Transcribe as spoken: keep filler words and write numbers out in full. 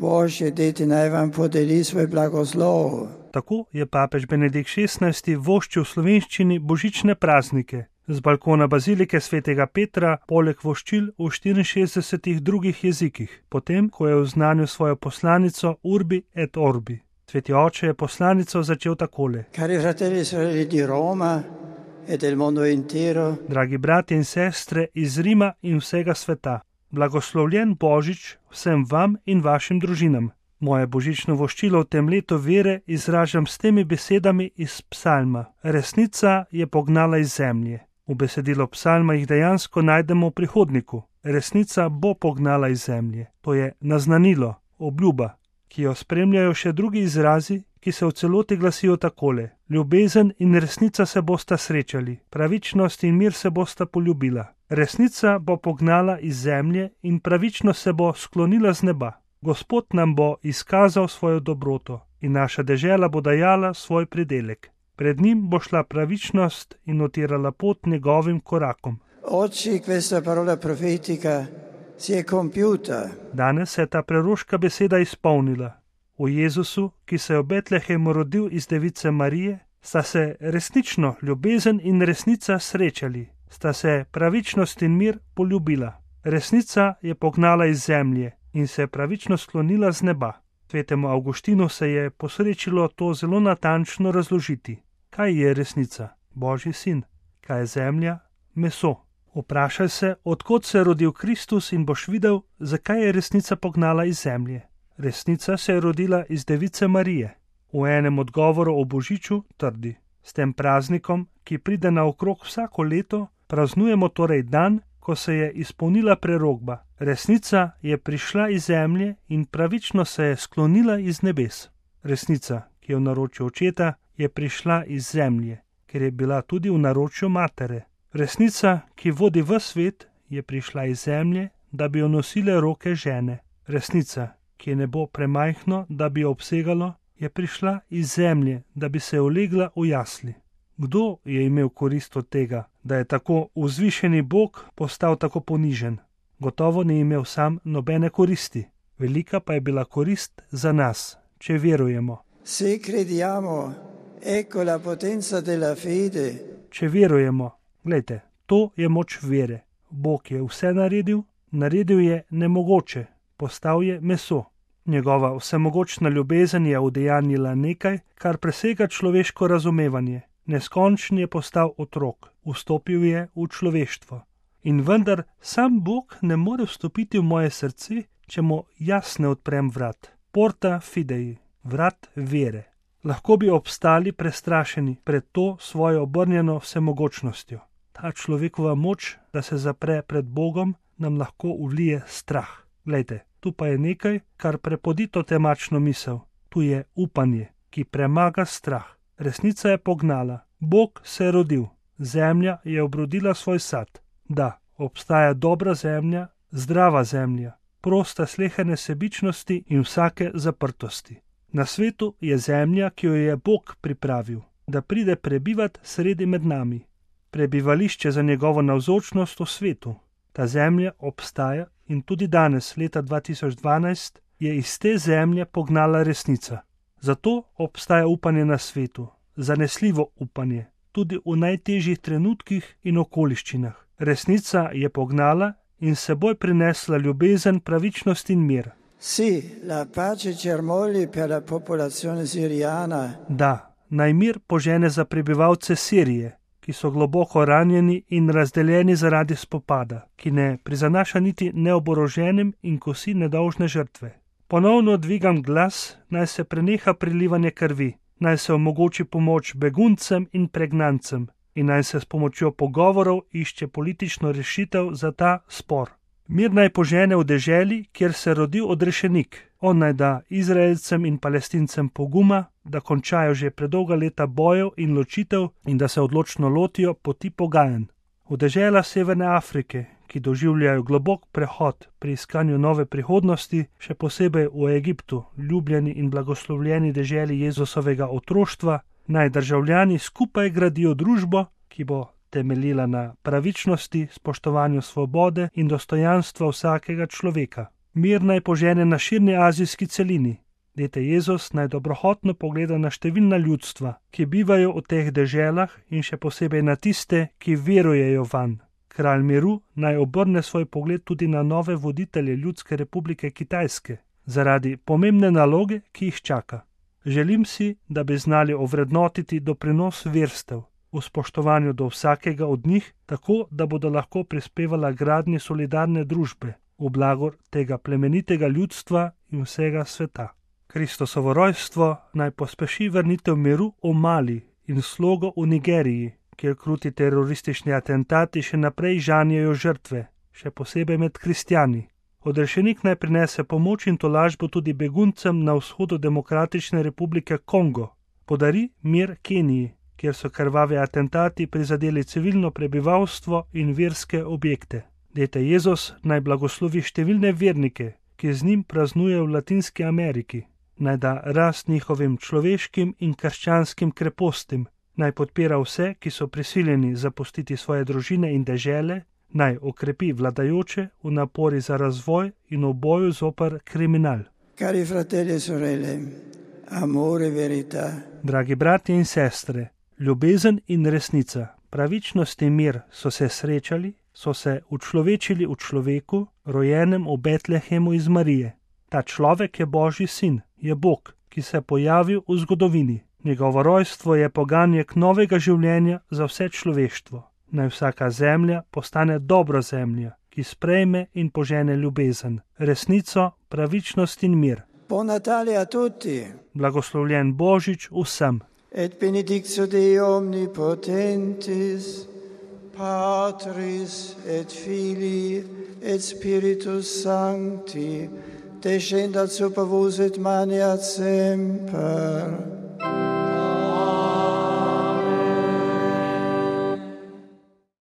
Božje, deti naj vam podeli svoj blagoslov. Tako je papež Benedikt šestnajsti voščil v slovenščini božične praznike. Z balkona bazilike svetega Petra poleg voščil v štiriinšestdesetih drugih jezikih, potem, ko je oznanil svojo poslanico Urbi et Orbi. Sveti oče je poslanico začel takole. Cari fratelli e sorelle di Roma e del mondo intero. Dragi bratje in sestre iz Rima in vsega sveta, blagoslovljen Božič vsem vam in vašim družinam. Moje božično voščilo v tem letu vere izražam s temi besedami iz psalma. Resnica je pognala iz zemlje. V besedilo psalma jih dejansko najdemo v prihodniku. Resnica bo pognala iz zemlje. To je naznanilo, obljuba, ki jo spremljajo še drugi izrazi, ki se v celoti glasijo takole. Ljubezen in resnica se bosta srečali, pravičnost in mir se bosta poljubila. Resnica bo pognala iz zemlje in pravičnost se bo sklonila z neba. Gospod nam bo izkazal svojo dobroto in naša dežela bo dajala svoj pridelek. Pred njim bo šla pravičnost in utirala pot njegovim korakom. Oggi questa parola profetica si è compiuta. Danes se je ta preroška beseda izpolnila. V Jezusu, ki se je v Betlehemu rodil iz device Marije, sta se resnično ljubezen in resnica srečali, sta se pravičnost in mir poljubila. Resnica je pognala iz zemlje in se je pravično sklonila z neba. Svetemu Avguštinu se je posrečilo to zelo natančno razložiti. Kaj je resnica? Božji sin. Kaj je zemlja? Meso. Vprašaj se, odkot se je rodil Kristus in boš videl, zakaj je resnica pognala iz zemlje. Resnica se je rodila iz device Marije. V enem odgovoru o Božiču trdi. S tem praznikom, ki pride naokrog vsako leto, praznujemo torej dan, ko se je izpolnila prerokba. Resnica je prišla iz zemlje in pravično se je sklonila iz nebes. Resnica, ki je v naročju očeta, je prišla iz zemlje, ker je bila tudi v naročju matere. Resnica, ki vodi v svet, je prišla iz zemlje, da bi jo nosile roke žene. Resnica, ki je nebo premajhno, da bi jo obsegalo, je prišla iz zemlje, da bi se ulegla v jasli. Kdo je imel korist od tega, da je tako vzvišeni Bog postal tako ponižen? Gotovo ni imel sam nobene koristi. Velika pa je bila korist za nas, če verujemo. Se crediamo, ecco la potenza della fede. Če verujemo, glejte, to je moč vere. Bog je vse naredil, naredil je nemogoče, postal je meso. Njegova vsemogočna ljubezen je udejanjila nekaj, kar presega človeško razumevanje. Neskončni je postal otrok, vstopil je v človeštvo. In vendar sam Bog ne more vstopiti v moje srce, če mu jaz ne odprem vrat. Porta fidei, vrat vere. Lahko bi obstali prestrašeni pred to svojo obrnjeno vsemogočnostjo. Ta človekova moč, da se zapre pred Bogom, nam lahko vlije strah. Glejte, tu pa je nekaj, kar prepodi to temačno misel. Tu je upanje, ki premaga strah. Resnica je pognala. Bog se je rodil. Zemlja je obrodila svoj sad. Da, obstaja dobra zemlja, zdrava zemlja, prosta sleherne sebičnosti in vsake zaprtosti. Na svetu je zemlja, ki jo je Bog pripravil, da pride prebivat sredi med nami. Prebivališče za njegovo navzočnost v svetu. Ta zemlja obstaja in tudi danes, leta dva tisoč dvanajst, je iz te zemlje pognala resnica. Zato obstaja upanje na svetu, zanesljivo upanje, tudi v najtežjih trenutkih in okoliščinah. Resnica je pognala in seboj prinesla ljubezen, pravičnost in mir. Sì, la pace germogli per la popolazione siriana. Da, naj mir požene za prebivalce Sirije, ki so globoko ranjeni in razdeljeni zaradi spopada, ki ne prizanaša niti neoboroženim in kosi nedolžne žrtve. Ponovno dvigam glas, naj se preneha prilivanje krvi, naj se omogoči pomoč beguncem in pregnancem in naj se s pomočjo pogovorov išče politično rešitev za ta spor. Mir naj požene v deželi, kjer se rodil odrešenik. On naj da Izraelcem in Palestincem poguma, da končajo že predolga leta bojev in ločitev in da se odločno lotijo poti pogajanj. V deželah Severne Afrike, ki doživljajo globok prehod pri iskanju nove prihodnosti, še posebej v Egiptu, ljubljeni in blagoslovljeni deželi Jezusovega otroštva, naj državljani skupaj gradijo družbo, ki bo temeljila na pravičnosti, spoštovanju svobode in dostojanstva vsakega človeka. Mir naj požene na širni azijski celini. Dete Jezus naj dobrohotno pogleda na številna ljudstva, ki bivajo v teh deželah in še posebej na tiste, ki verujejo vanj. Kralj miru naj obrne svoj pogled tudi na nove voditelje Ljudske republike Kitajske, zaradi pomembne naloge, ki jih čaka. Želim si, da bi znali ovrednotiti doprinos verstev, v spoštovanju do vsakega od njih, tako da bodo lahko prispevala gradnji solidarne družbe, v blagor tega plemenitega ljudstva in vsega sveta. Kristosovo rojstvo naj pospeši vrnitev miru v Mali in slogo v Nigeriji, kjer kruti teroristični atentati še naprej žanjejo žrtve, še posebej med kristjani. Odrešenik naj prinese pomoč in tolažbo tudi beguncem na vzhodu Demokratične republike Kongo. Podari mir Keniji, kjer so krvavi atentati prizadeli civilno prebivalstvo in verske objekte. Dete Jezus naj blagoslovi številne vernike, ki z njim praznujejo v Latinski Ameriki. Naj da rast njihovim človeškim in krščanskim krepostim, naj podpira vse, ki so prisiljeni zapustiti svoje družine in dežele, naj okrepi vladajoče v napori za razvoj in v boju zoper kriminal. Cari fratelli e sorelle, amore e verità. Dragi bratje in sestre, ljubezen in resnica, pravičnost in mir so se srečali, so se učlovečili v človeku, rojenem v Betlehemu iz Marije. Ta človek je Božji sin, je Bog, ki se je pojavil v zgodovini. Njegovo rojstvo je poganjek novega življenja za vse človeštvo. Naj vsaka zemlja postane dobra zemlja, ki sprejme in požene ljubezen, resnico, pravičnost in mir. Buon Natale a tutti. Blagoslovljen Božič vsem. Et benedictio Dei omnipotentis, Patris et Filii et Spiritus Sancti, descendat super vos et maneat semper.